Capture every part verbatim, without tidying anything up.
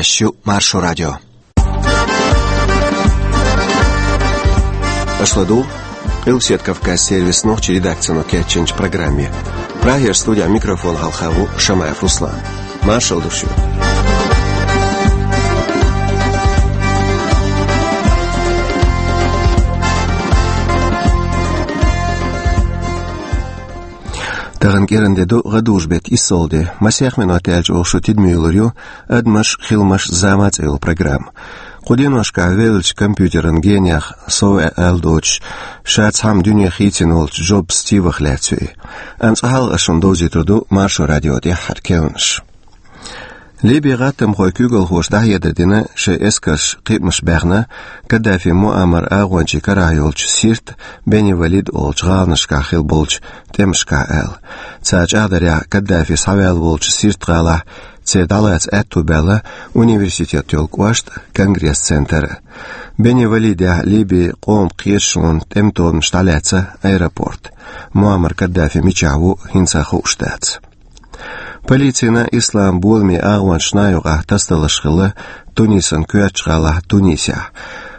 Эфирехь ю Маршо радио. Аша ладугӀу Къилбаседа Кавказ сервисан нохчийн редакцино кечйинчу программе. Прагера студехь микрофон хьалха ву Шамаев Руслан. Маршалла ду шуьга. Тахана кӀиранде ду гӀадужу-беттан иссалгӀа де. Масех минот яьлча оха шу тидаме йолур ю «Адамаш, хиламаш, зама» цӀе йолу программа. Кху деношкахь веллачу компьютеран генех, сов аьлла доцуш, ша цхьамма дуьне хийцина волчу Джобс Стивах лаьцна ю и. Амма цкъа хьалха ас шуна довзуьйтур ду Маршо радион тӀаьххьара керланаш. Ливин гӀаттамхойн куьйгалхоша дӀахьедар дина, шайн эскарша кхиамаш баьхна, Каддафи Муаммар агӀончийн карахь йолчу Сирт, Бени Валид олучу гӀаланашкахь хилла болчу тӀемашкахь аьлла. Цара чӀагӀдарехь, Каддафи схьаваьлла волчу Сирт-гӀалахь церан дӀалаца аьтто баьлла университет йолу кӀошт а, конгресс-центр а. Бени Валидехь Ливин къоман кхеташонан тӀеман тобанаш дӀалаьцна аэропорт. Муаммар Каддафи мичахь ву, хӀинца хууш дац. Полицина ислам боламийн агӀончашна юкъахь тасадаларш хилла Тунисан коьртачу гӀалахь Тунисехь.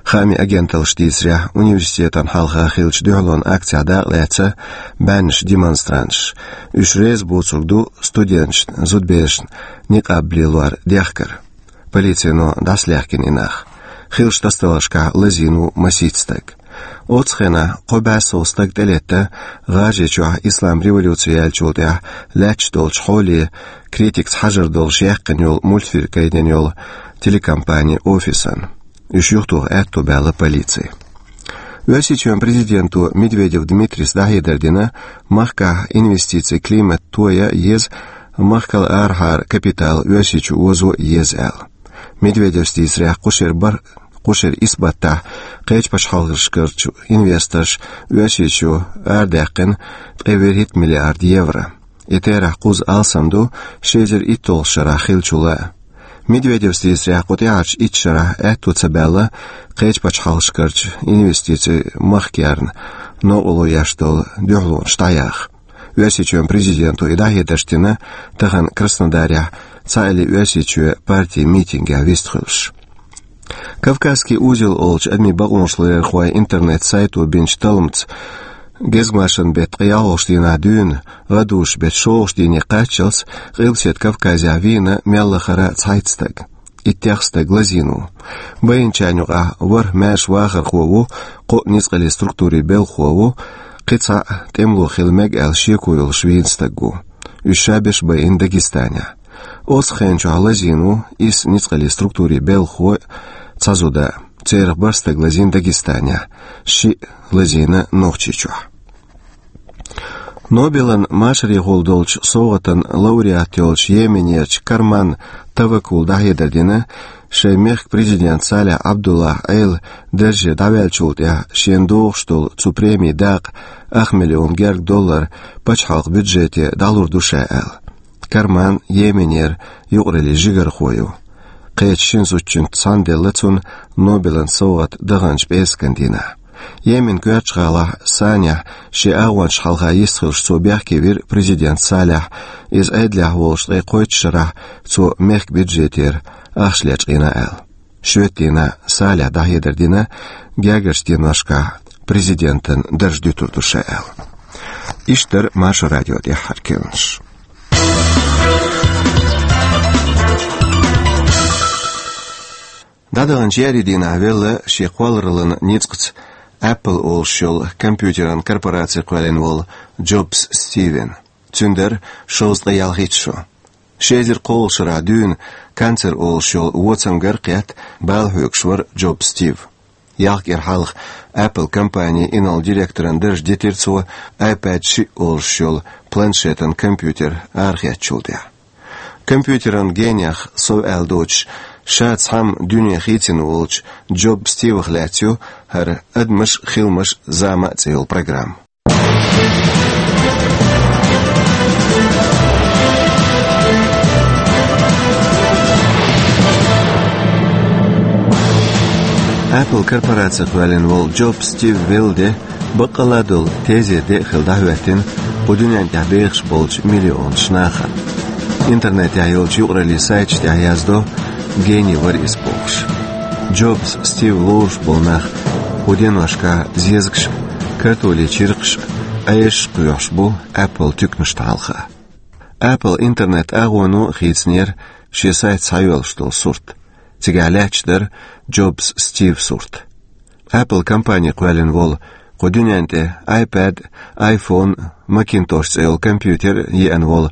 Хаамийн агенталлаша дийцарехь, университетана хьалха хиллачу дуьхьалонан акцехь дакъалаьцна бӀеннаш демонстранташ. Уьш реза боцург ду студенташна, зудаберашна никъаб лелор дехкар. Полицино дӀасалаьхкина и нах. Хиллачу тасадаларшкахь лазийна ву масийтта стаг. Оццу хенахь кхо бӀе сов стаг тӀелетта ГӀажарийчохь ислам революци яьллачул тӀаьхьа лаьтташ долчу хьоле критикаца хьажар долуш яьккхина йолу мультфильм гайтина йолу телекомпанин офисан. Уьш юхатоха аьтто баьлла полици. Оьрсийчоьнан президенто Медведев Дмитрийс дӀахьедар дина, махкахь инвестицийн климат тоя еза, махкал арахьара капитал Оьрсийчу озо еза аьлла. Медведевс дийцарехь, кху шеран бар-, кху шеран исс баттахь кхечу пачхьалкхашкарчу инвесторша Оьрсийчу арадаьккхина ткъе вуьрхӀитта миллиард евро. И терахь кхузза алсам ду ши эзар итталгӀачу шарахь хиллачул а. Медведевс дийцарехь, кху тӀаьхьарчу итт шарахь аьтто ца баьлла кхечу пачхьалкхашкарчу инвестицийн махкарна новкъарло еш долу дуьхьалонаш дӀаяха. Оьрсийчоьнан президенто и дӀахьедарш дина тахана Краснодарехь цхьааллин Оьрсийчоь партин митингехь вистхуьлуш. «Кавказский узел» олучу адамийн бакъонашларъярхойн интернет-сайто бинчу талламца, гезгмашан беттан ткъе ялхалгӀачу дийнахь дуьйна, гӀадужу-беттан шолгӀачу дийне кхаччалц, Къилбаседа Кавказехь вийна мел лахара цхьайтта стаг. Иттех стаг лазийна ву. Байинчарна юкъахь ворхӀ маьрша вахархо ву, кхоъ ницкъаллин структурийн белхахо ву, кхин цхьаъ тӀемало хила мега аьлла шеко йолуш вийна стаг ву. Уьш шаберш байина Дагестанехь. Оццу хенан чохь лазийна ву исс ницкъаллин структурийн белхахо а, цхьа зуда а. Церах бархӀ стаг лазийна Дагестанехь, шиъ лазийна Нохчийчохь. Нобелан машарехула долчу совгӀатан лауреат йолчу Йеменерчу Карман Таваккул дӀахьедар дина, шайн мехкан президент Салих Абдуллах Ӏела дарже дӀаваьллачул тӀаьхьа шена догӀуш долу цу премин дакъа ах миллион гергга доллар пачхьалкхан бюджете дӀалур ду ша аьлла. Карман Йеменера юкъараллин жигархо ю. Кхечу шина зудчуьнца цхьаьна делла цунна Нобелан совгӀат даханчу пӀераскан дийнахь. Йеменан коьртачу гӀалахь Санехь шен агӀончашна хьалха йистхуьлуш цо бехке вира президент Салихь, иза Ӏедалехь волуш ткъе кхойтта шарахь цо мехкан бюджетера ахча лечкъийна аьлла. Шоьтан дийнахь Салихь дӀахьедар дина, гергарчу деношкахь президентан дарж дуьтур ду ша аьлла. Иштта дара Маршо радион тӀаьххьара керланаш. ДӀадаханчу еарин дийнахь велла шен кхоллараллин ницкъаца Apple олуш йолу компьютеран корпораци кхоьллина волу Джобс Стивен. Цуьнан дара шовзткъе ялхитта шо. Ши эзар кхоалгӀачу шарахь дуьйна канцер олуш йолу воцамгара кхетта бала хьоьгуш вара Джобс Стив. Ялх кӀира хьалха Apple компанин инарла директоран дарж дитира цо iPad шиъ олуш йолу планшетан компьютер арахецначул тӀаьхьа. Компьютеран генех, сов аьлла доцуш, ша цхьамма дуьне хийцина волчу Джобс Стивах лаьцна ю хӀара «Адамаш, хиламаш, зама» цӀе йолу программа. Apple корпораци кхоьллина волу Джобс Стив велла де, баккъалла а долу тезетан де а хилла дӀахӀоьттина кху дуьнен тӀехь бехаш болчу миллионаш нахана. Интернетехь йолчу юкъараллин сайташ тӀехь яздо: гений вара иза бохуш. Джобс Стив лоруш болу нах кху деношкахь зезагаш а, картолийн чиркхаш а, Ӏешаш а кхоьхьуш бу Apple туьканашна хьалха. Apple интернет агӀоно а хийцинера шен сайт схьайоьллуш долу сурт. Цигахь лаьтташ дара Джобс Стив сурт. Apple компани кхоьллина волу, кху дуьнен тӀе iPad, iPhone, Macintosh цӀе йолу компьютер а еана волу,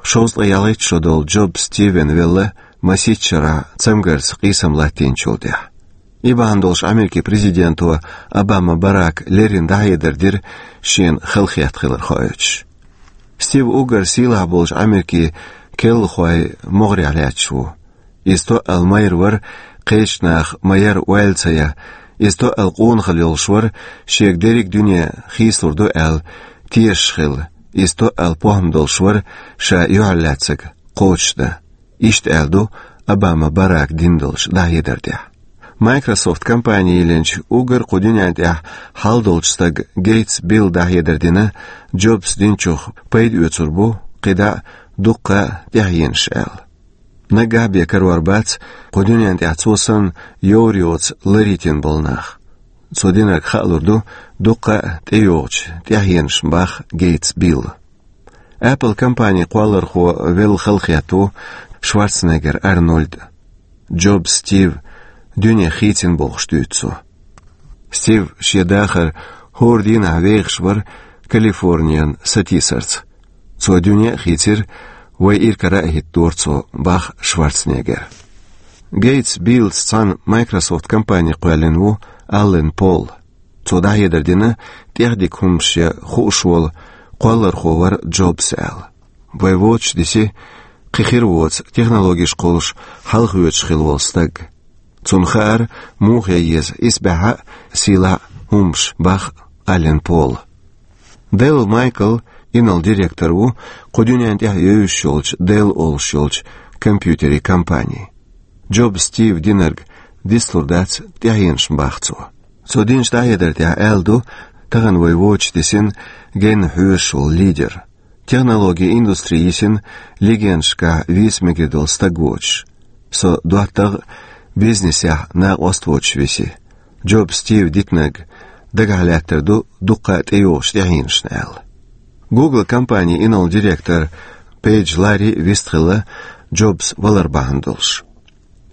шовзткъе ялхитта шо долу Джобс Стивен велла масийтта шарахь цамгарца къийсам латтийначул тӀаьхьа. И бахьана долуш Америкин президенто Обама Барака леррина дӀахьедар дира шена халахетта хилар хоуьйтуш. Стив уггар сийлахь болчу Америкин келлахойн могӀарехь лаьтташ ву. Иза тоъал майра вара, кхечу наха ма-ярра ойла ца ян. Иза тоъал къонахалла йолуш вара, шега дерриг дуьне хийцалур ду аьлла, тешаш хилла. Иза тоъал похӀма долуш вара, ша юьхьарлаьцнарг кхочушдан. Иштта аьлла ду Обама Барака дина долчу дӀахьедар тӀехь. Microsoft компани йиллинчу уггар кху дуьнен тӀехь хьал долчу стага Гейтс Билла дӀахьедар дина, Джобс динчух пайда оьцур бу кхидӀа а, дуккха а тӀаьхьенаш аьлла. Наггахь бен карор бац кху дуьнен тӀехь цо санна йовр йоцу лар йитина болу нах. Цо динарг хаалур ду дуккха а тӀейогӀучу тӀаьхьенашна, боху Гейтс Билла. Apple компанин кхоллархо велла халахетта ву Шварценеггер Арнольд. Джобс Стив дуьне хийцина бохуш дуьйцу цо. Стив шен дахар хӀора дийнахь вехаш вара Калифорниян сатийсарца. Цо дуьне а хийцира, вай иракарахь а хӀиттадора цо, боху Шварценеггера. Гейтс Биллаца цхьаьна Microsoft компани кхоьллина ву Аллен Пол. Цо дӀахьедар дина, тӀехдика хӀуманаш ян хууш волу кхоллархо вара Джобс аьлла. Вай воцуш диси, кхин хир воцу технологиш кхуллуш хьалхавоьдуш хилла волу стаг. Цунна хаьара, муха ян еза исбаьхьа а, сийлахь а хӀуманаш, боху Аллен Пола. Делл Майкл инарла директор ву кху дуьнен тӀехь евзаш йолчу Делл олуш йолчу компьютерийн компанин. Джобс Стива динарг дицлур дац тӀаьхьенашна, боху цо. Цо динчу дӀахьедар тӀехь аьлла ду, тахана вай воцуш дисина генна хьоьжуш волу лидер. Технологийн индустри йисина легендашкахь вийца мегар долу стаг воцуш. Со доттагӀа а, бизнесехь накъост а воцуш виси. Джобс Стива дитинарг дагахь лаьттар ду дуккха а тӀейогӀучу тӀаьхьенашна аьлла. Google компанин инарла директор Пейдж Ларри вистхилла Джобс валар бахьана долуш.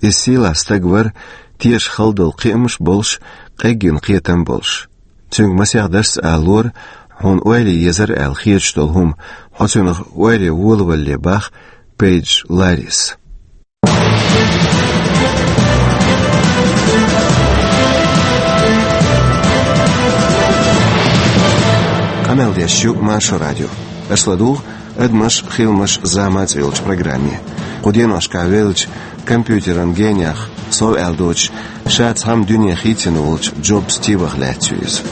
Иза сийлахь стаг вара, теша хала долу кхиамаш а болуш, къеггина кхетам а болуш. Цуьнга масех дарс а алора, хьуна ойла езара аьлла хеташ долу хӀума хьо цуьнах ойла волавалале, боху Пейдж Ларрис. Къамел деш ю Маршо радио. Аша ладугӀу «Адамаш, хиламаш, зама» цӀе йолчу программе. Кху деношкахь веллачу компьютеран гениех сов аьлла доцуш, ша цхьамма дуьне хийцина волчу Джобс Стивах лаьцна ю иза.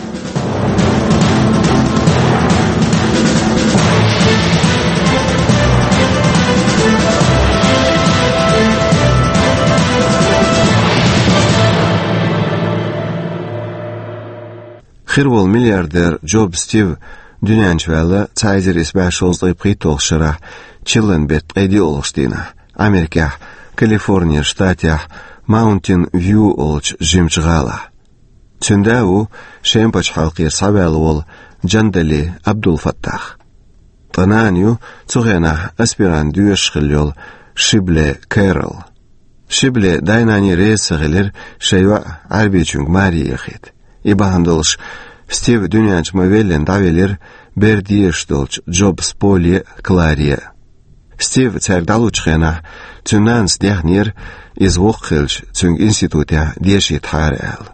Хир волу миллиардер Джобс Стив дуьнен чу ваьлла цхьа эзар исс бӀе шовзткъе пхийтталгӀачу шарахь, чиллан беттан ткъе диъалгӀачу дийнахь, Америкехь, Калифорния штатехь, Маунтин Вью олучу жимачу гӀалахь. Цуьнан да ву Шема пачхьалкхера схьаваьлла волу Джандали Абдулфаттах. Ткъа нана ю цу хенахь аспирант доьшуш хилла йолу Шибле Кэрол. Шибле дай-наний реза ца хилира шайн йоӀ Ӏаьрбичуьнга маре яхийта. И бахьана долуш Стив дуьнен чу ма-веллина дӀавелира бер дезаш долчу Джобс Поле а, Кларе а. Стив цаьрга дӀалучу хенахь, цуьнан нанас дехнера, иза воккха хилча, цуьнга институтехь дешийтахьара аьлла.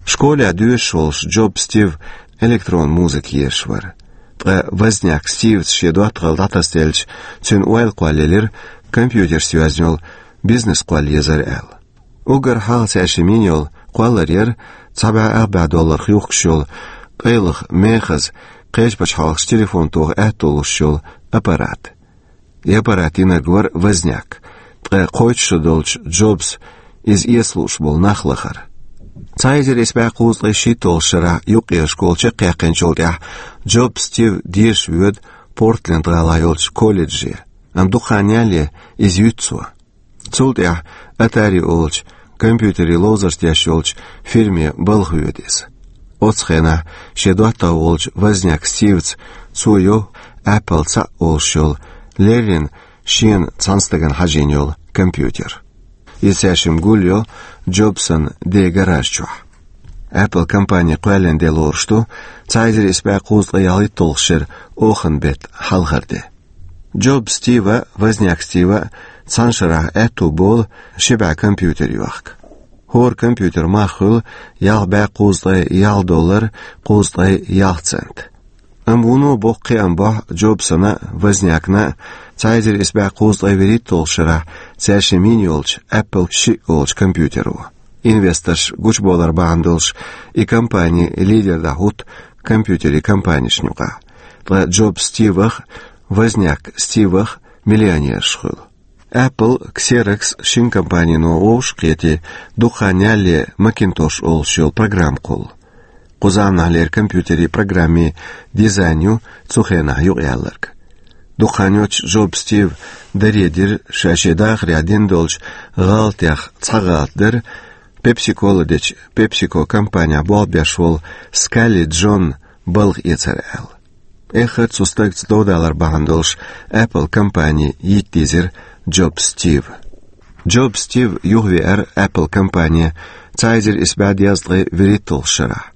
Школехь доьшуш волуш Джобс Стив электрон музыка езаш вара. Ткъа Возняк Стивца шен доттагӀалла дӀатасделча, цуьнан ойла кхоллаелира компьютерца йоьзна йолу бизнес кхолла езара аьлла. Уггар хьалха цаьршимма йина йолу кхоллар яра цхьа бӀе ах бӀе долларах юхкуш йолу, къайлаха мехаза, кхечу пачхьалкхашка телефон тоха аьтто луш йолу аппарат. И аппарат йинарг вара Возняк, ткъа кхойтта шо долчу Джобса иза эца лууш болу нах лахара. Цхьа эзар исс бӀе кхузткъе шийтталгӀачу шарахь юккъера школа чекхъяьккхинчул тӀаьхьа Джобс Стив деша воьду Портленд-гӀалахь йолчу колледже, амма дукха хан ялале иза юьту цо. Цул тӀаьхьа Atari олучу компьютерийн ловзарш деш йолчу фирме балха воьду иза. Оцу хенахь шен доттагӀа волчу Возняк Стивца цо йо Apple цхьаъ олуш йолу леррина шена цхьана стагана хьажийна йолу компьютер. Иза цаьршимма гулйо Джобсан ден гараж чохь. Apple компани кхоьллина де лоруш ду цхьа эзар исс бӀе кхузткъе ялхитталгӀачу шеран оханан беттан хьалхара де. Джоб Стива а, Возняк Стива а цхьана шарахь аьтту болу ши бӀе компьютер йохка. ХӀора компьютер мах хуьлу ялх бӀе кхузткъе ялх доллар кхузткъе ялх цент. Амма вуно боккха кхиам бохьу Джобсана а, Вознякна а цхьа эзар исс бӀе кхузткъе вуьрхӀитталгӀачу шарахь цаьршимма йина йолчу Apple шиъ олучу компьютеро. Инвесторш гучубовлар бахьана долуш и компани лидер дӀахӀутту компьютерийн компанешна юкъахь. Ткъа Джоб Стивах а, Возняк Стивах а миллионераш хуьлу. Apple Xerox шина компанино вовшах а кхетий, дукха хан ялале Macintosh олуш йолу программа кхуллу. Кху заманахьлера компьютерийн программийн дизайн ю цу хенахь юкъаяьлларг. Дукха хан йоццуш Джоб Стива даре дира, ша шен дахарехь дина долчу гӀалатех цхьа гӀалат дара, Pepsi-Cola дечу PepsiCo компанехь болх беш волу Скалли Джонна балха эцар аьлла. Эххар а цу стагца довдалар бахьана долуш Apple компани йитта дийзира Джоб Стива. Джоб Стив юхавеара Apple компани цхьа эзар исс бӀе дезткъе вуьрхӀитталгӀачу шарахь.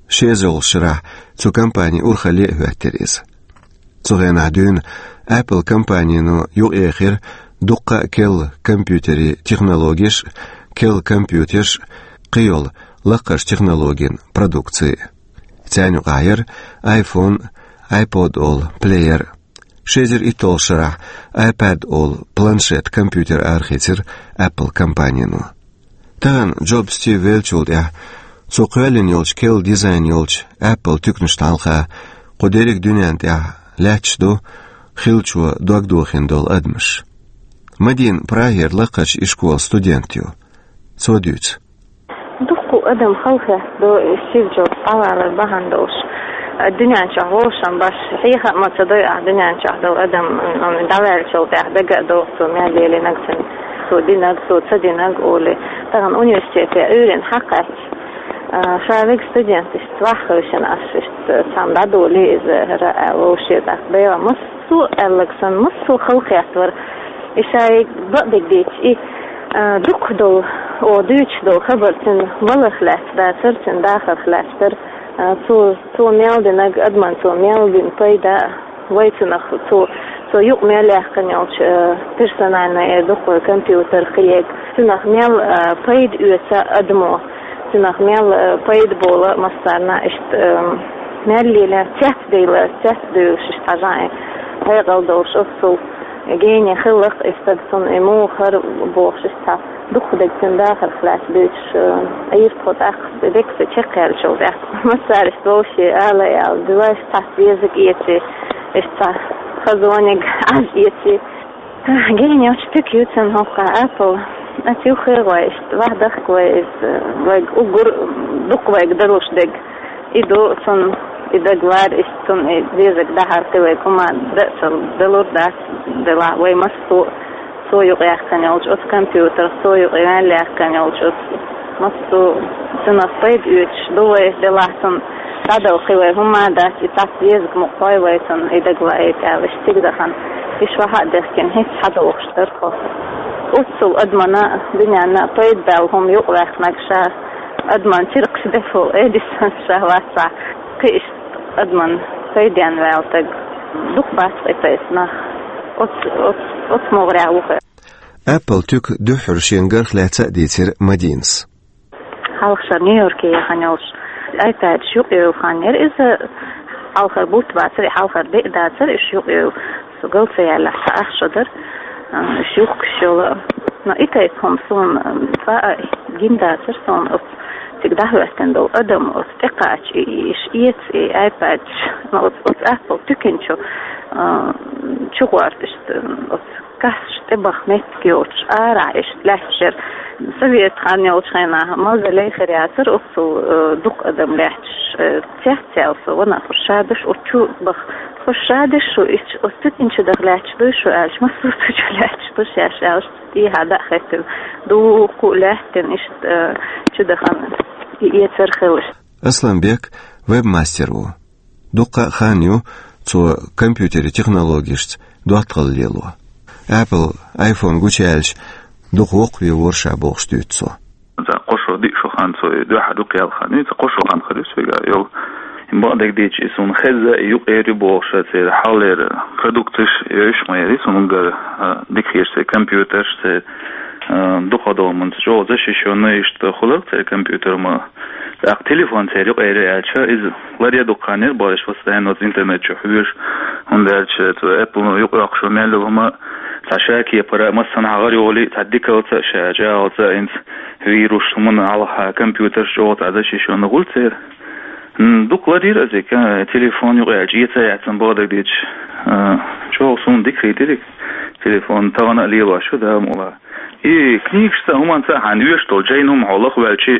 Ши эзарлагӀчу шарахь цу компанин урхалле а хӀоьттира иза. Цу хенахь дуьйна Apple компанино юкъаэхира дуккха а керла компьютерийн технологеш а, керла компьютерш а, кхин йолу лакхарчу технологийн продукци. Царна юкъахь яра iPhone, iPod олу плеер. Ши эзар итталгӀачу шарахь iPad олу планшет-компьютер арахийцира Apple компанино. Тахана Джоб Стив веллачул тӀаьхьа цо кхоьллина йолчу керла дизайн йолчу Apple туьканашна хьалха кху дерриг дуьнен тӀехь лаьтташ ду хиллачо дог дохийна долу адамаш. Мадина Прагера лакхарчу ишколан студент ю. Цо дуьйцу. Дуккха адам халахетта ду и Стив Джобс дӀавалар бахьана долуш. Дуьнен чохь вовшам баш, хьеха а ма ца дой ахь дуьнен чохь долу адам, м, дӀаваьллачул тӀаьхьа дага а догӀу цо мел лелийнарг, цо динарг, цо ца динарг олий. Тахана университете Ӏуьйранна хьакхаьчча, а, ша вега студенташца ваха хевшина аш иштта цхьамма дӀадолий иза хӀара аьлла вовше, тӀаккха Дела массо а аьлларг санна, массо а халахетта вара. И шайга бакъдерг дийцча, и, а, дукха долу, о, дуьйцуш долу хабар цуьнан валарх лаьцна дацара, цуьнан дахарх лаьцна дара. А, цо, цо мел динарг, адамна цо мел дина пайда, вай цунах, цо, цо юкъа мел яьккхина йолчу, а, персональный, э, дукха компьютер, кхиерг, цунах мел, а, пайда оьцу адамо, цунах мел, а, пайда болу массарна, иштта, а, мел лелийна, цецдевлла, цецдевллаш иштта хьажа, э, хьекъал долуш оццул гений хиларх, и стаг цунна и муха хӀара бохуш, иштта дукха дерг цуьнан дахарх лаьцна дуьйцуш, э, Ӏийра тхо тӀаккха декъа чекхъяьллачул тӀаьхьа. Массара иштта вовше ала аьлла, дилайша цхьацца везиг эций, иштта хазониг Ӏаж эций. Гений оцу туька ю цуьнан хӀокху Apple. Ас юххе а гӀой, иштта ваха дахка вай, иза вайга уггар дукха вайга далуш дерг. И ду цунна и дагалар, иштта цунна и дезаг дахьар кхин вайга хӀума дан а ца далур дац, делахь вай массо а цо юкъаяьккхина йолчу оцу компьютерах, цо юкъа мел яьккхина йолчу оцу массо а цунах пайда оьцуш ду вай, делахь цунна дӀадала кхин вай хӀума дац, и цхьацца дезаг мукъа хой вай цунна и дагалаийта аьлла, иштта цига дахана. Иштта ваха а дехкина, хӀинца схьадогӀуш дара тхо. Оццул адамна а, дуьненна а пайда баьлла хӀума юкъаваьккхинарг ша, адамна чиркхаш деш волу Эдисон ша вацахь, кхин иштта адамна пайденна ваьлла стаг дукха бац и тайпа нах. Оц-, оц-, оцу могӀарехь ву хьо. Apple туька дуьххьара шен гарх лаьцна а дийцира Мадинас. Хьалха шара Нью-Йорке яхана йолуш iPad-ш юкъайовла хан яра иза, хьалхара бутт бацара, и хьалхара де а дацара, уьш юкъайовла. Со гал ца яьллехь, цхьа ах шо дара, а, уьш юхкуш йолу. Но и тайпа хӀума суна, м, цкъа а гина дацара суна оцу цига дӀахӀоьттина долу адам, оцу тӀекхача и, и, иш эца и iPad-ш, но оцу, оцу Apple туьканчу, а, чугӀорта иштта, оцу кассаш тӀебаха меттиг йоцуш, арахь иштта лаьтташ яра. Совет хан йолчу хенахь мавзолей хир яцара, оццул, э, дукха адам лаьтташ, э, цецъяьлла со ванах, шадаш оцу чу баха. Шу ша деш шу, иштта оцу цу дийнан чу даха лаьтташ дуй шу аьлча, массо а цу чу лаьтташ ду шаьш аьлча, тӀехьа дӀа а хеттина, дуккха а лаьттина, иштта, э, чу дахана и эцар хилла. Асланбек вебмастер ву. Дуккха а хан ю цо компьютерийн технологешца доттагӀалла лело. Apple iPhone гучуяьлча, дукха воккхаве вора ша бохуш дуьйцу цо. Цхьа кхо шо, диъ шо хан цо и дуьхьал юкъаяьлла хан ю, цхьа кхо шо хан хир ю соьга йолу. Бакъдерг дийцича, и суна хезна, и юкъера ю бохуш, церан хьалхалера продукташ йойуш ма яра, и суна уггар, а, дика хеташ церан компьютерш, церан, а, дукха долу мунца чӀогӀа защищённый иштта хуьлура церан компьютер ма. ТӀаккха телефон церан юкъера ю аьлча, иза ларъян дукха хан яра бохуш, постоянно оцу интернет чу хьоьжуш, хӀунда аьлча цу Apple юкъайоккхуш ю мел йолу хӀума, цхьа ша кепара массанхьа гӀара йолий, цхьа дикалца а, ша чӀагӀалца а, хӀинца вирус хӀуманна хьалха компьютерш чӀогӀа цхьа защищённый хуьлу церан. М, дукха ларйира иза, ка-, телефон юкъаяьлча, эца а яьцна бакъдерг дийцича, а, чӀогӀа суна дика хийтира и телефон, тахана а лелош ю, Дала мукъ лахь. И книгашца, хӀуманца а хьайна оьшуш долу жайна хӀума хьо лаха ваьлча,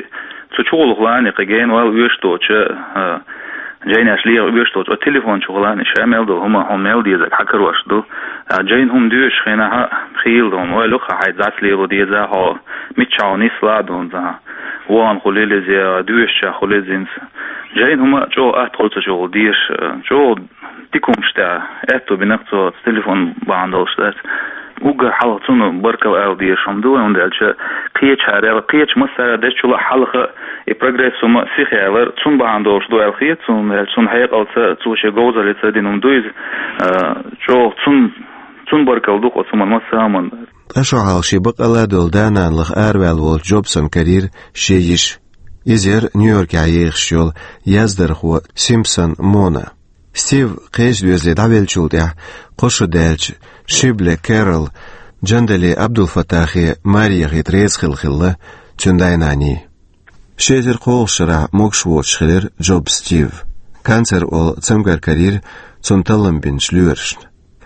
цу чу гӀуллакх лаьа, кхин гена вала оьшуш доцучу, а, жайнаш леха оьшуш доцу, оцу телефон чу гӀуллакх лаьа, ша мел долу хӀума хьуна мел дезарг хьан карош ду. А, жайна хӀума доьшуш хенахь а хийла ду хьуна, ойла ю-кх хьайн дӀасалело деза хьо, миччахьа хьо нислахь а ду хьуна цхьа. Вон хуьлийла иза, доьшучех хуьлийла иза хӀинца. Жайна хӀума чӀогӀа атта хуьлу цу чу гӀуллакх деша, чӀогӀа дика хӀуманаш тӀехь аьтто бина-кх цо, телефон бахьана долуш дац. Уггар хьалха цунна баркалла ала дезаш хӀума ду вай, хӀунда аьлча кхечара аьлла, кхечу массара а дечул а хьалха и прогресс хӀума сиха ялар цунна бахьана долуш ду аьлла хета суна, аьлча цунна хьекъалца, цо шен говзаллица дина хӀума ду иза, а, чӀогӀа цунна, цунна баркалла ду-кх оцу хӀуманна, массо а хӀуманна. Ткъа шо хьалха шен бакъалла долу да-нана лаха араваьлла волчу Джобсан карийра шен йиша. Иза яра Нью-Йоркехь ехаш йолу яздархо Симпсон Мона. Стив кхечу доьзале дӀавеллачул тӀаьхьа кхо шо даьлча, Шибле Кэрол, Джандали Абдулфатахе маре яхийта реза хилла хилла цуьнан дай-наний. Ши эзар кхоалгӀачу шарахь могуш воцуш хилира Джоб Стив. Канцер олу цамгар карийра цунна таллам бинчу лоьрашна.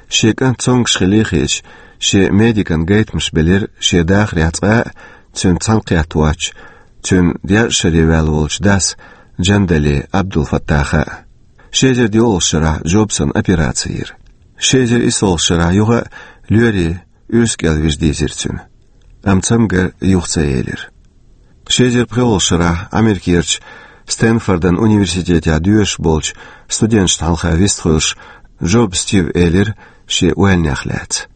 Шен кӀант цомгуш хилла хеташ, шен медикан гайтамаш белира шен дахарехь цкъа а цуьнца цхьаьнакхетта воцчу, цуьнан дезткъа шаре ваьлла волчу дас Джандали Абдулфаттаха а. Ши эзар диъолгӀачу шарахь Джобсана операци йира. Ши эзар исолгӀачу шарахь юха а лоьрийн уьрса кӀел вижа дийзира цуьнан. Амма цамгар юха ца елира. Ши эзар пхоьалгӀачу шарахь Америкерчу Стэнфордан университетехь доьшуш болчу студенташна хьалха вистхуьлуш, Джоб Стив элира шен ойланех лаьцна: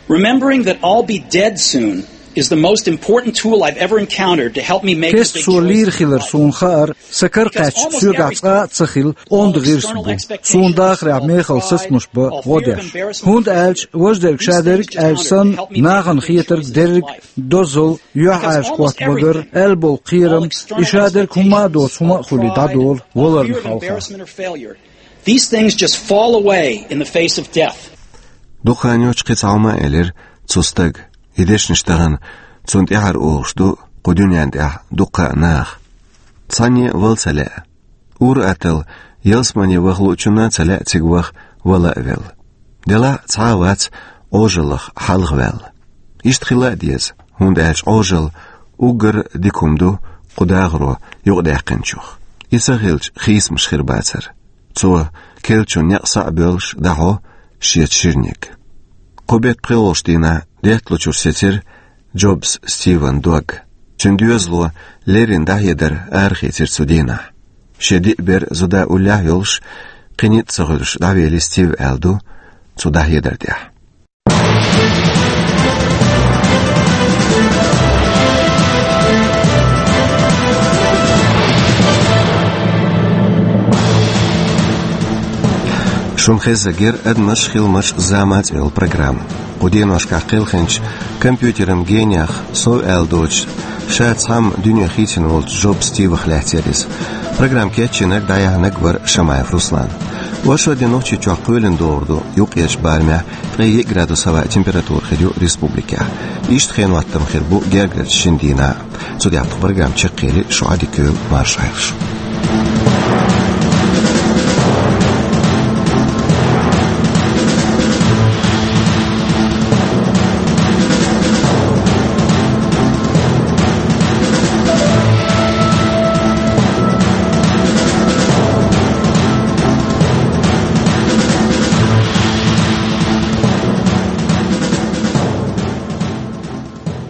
Remembering that I'll be dead soon is the most important tool I've ever encountered to help me make the big choices in life. Кеста со лийр хилар суна хаар, сан кара кхаьчча соьгахь цкъа а ца хилла онда гӀирс бу. Суна дахарехь мехала сацамаш бан гӀо деш. ХӀунда аьлча важа дерг ша дерг аьлча санна, нахана хетарг дерриг а дозалла, юьхьӀаьржа хӀотта магар, аьлла болу кхерам, и ша дерг хӀумма а доцу хӀума а хуьлий дӀадолу валарна хьалха. These things just fall away in the face of death. Дукха хан йоццуш кхин цхьа хӀума а элира цу стага, и дешнаш тахана цунна тӀаьхьара олуш ду кху дуьнен тӀехь дуккха а наха. Цхьанне а вала ца лаьа. Ур-атталла ялсамане ваха луучунна а ца лаьа цига ваха вала а велла. Делахь а цхьа а вац Ӏожаллах хьалхаваьлла. Иштта хила а деза, хӀунда аьлча Ӏожалла уггар а дика хӀума ду кху дахаро юкъадаьккхинчух. И ца хилча, хийцамаш хир бацара. Цо, керлачун некъ схьа а боьллуш, дӀахьо шеца ширниг. Кху беттан пхоьалгӀачу дийнахь детталучуьра сецира Джобс Стиван дог. Цуьнан доьзало леррина дӀахьедар арахецира цу дийнахь. Шен диъ бер зуда уллехь а йолуш, кхин ницкъ ца хуьлуш дӀавели Стив аьлла ду цу дӀахьедар тӀехь. Шуна хеззарг яра «Адамаш, хиламаш, заман» цӀе йолу программа. Кху деношкахь кхелхинчу компьютеран гениех сов аьлла доцуш, ша цхьамма дуьне хийцина волчу Джоб Стивах лаьцна яра иза. Программа кечйинарг, дӀаяьхьнарг вара Шамаев Руслан. Оршот дийнахь Нохчийчохь кхоьлина догӀур ду юккъерчу барамехь, ткъе йиъ градус хӀаваан температура хир ю республикехь. Иштта хенан хӀоттам хир бу гергарчу шина дийнахь. Цу тӀехь тхан программа чекхъели, шун Ӏадика йойла, марша Ӏайла шу.